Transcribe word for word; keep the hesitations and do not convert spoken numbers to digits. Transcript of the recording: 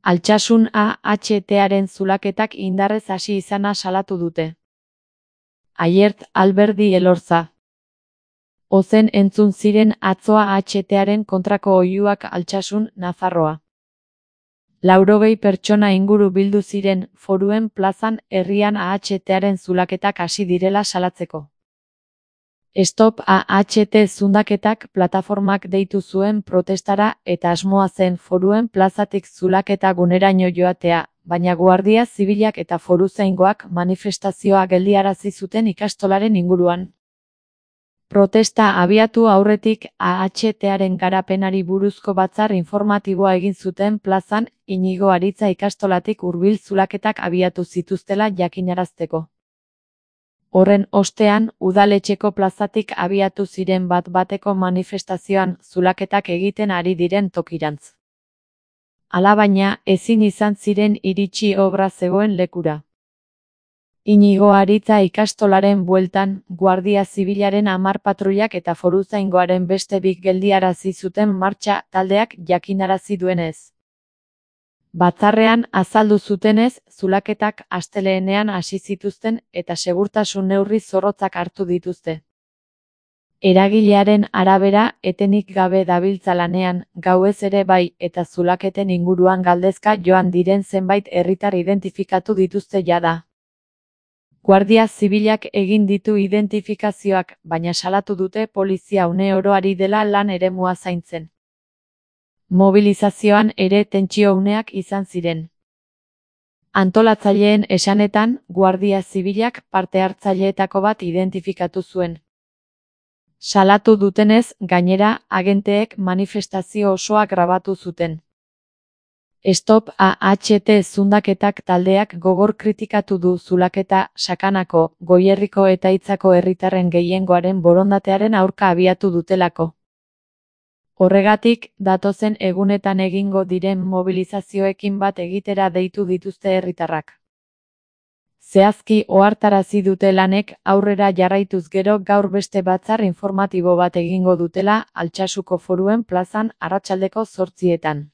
Altsasun A H T-aren zulaketak indarrez hasi izana salatu dute. Aiert Alberdi Elorza. Ozen entzun ziren atzo A H T-aren kontrako oihuak Altsasun, Nafarroa. Laurogei pertsona inguru bildu ziren Foruen plazan herrian A H T-aren zulaketak hasi direla salatzeko. Stop A H T zundaketak plataformak deitu zuen protestara eta asmoa zen Foruen plazatik zulaketa guneraino joatea, baina Guardia Zibilak eta Foruzaingoak manifestazioa geldiarazi zuten ikastolaren inguruan. Protesta abiatu aurretik A H T-aren garapenari buruzko batzar informatiboa egin zuten plazan Inigo Aritza ikastolatik hurbil zulaketak abiatu zituztela jakinarazteko. Horren ostean, udaletxeko plazatik abiatu ziren bat-bateko manifestazioan zulaketak egiten ari diren tokirantz. Alabaina, ezin izan ziren iritsi obra zegoen lekura. Inigo Aritza ikastolaren bueltan, Guardia Zibilaren hamar patruilak eta Foruzaingoaren beste bik geldiarazi zuten martxa taldeak jakinarazi duenez. Batzarrean azaldu zutenez, zulaketak astelehenean hasi zituzten eta segurtasun neurri zorrotzak hartu dituzte. Eragilearen arabera, etenik gabe dabiltza lanean, gauez ere bai eta zulaketen inguruan galdezka joan diren zenbait herritar identifikatu dituzte jada. Guardia Zibilak egin ditu identifikazioak, baina salatu dute polizia une oro ari dela lan eremua zaintzen. Mobilizazioan ere tentsio uneak izan ziren. Antolatzaileen esanetan, Guardia Zibilak parte hartzaileetako bat identifikatu zuen. Salatu dutenez, gainera, agenteek manifestazio osoa grabatu zuten. Stop A H T zundaketak taldeak gogor kritikatu du zulaketa Sakanako, Goierriko eta Itzako herritarren gehiengoaren borondatearen aurka abiatu dutelako. Horregatik, datozen egunetan egingo diren mobilizazioekin bat egitera deitu dituzte herritarrak. Zehazki ohartarazi dute lanek aurrera jarraituz gero gaur beste batzar informatibo bat egingo dutela Altsasuko Foruen plazan arratsaldeko zortzietan.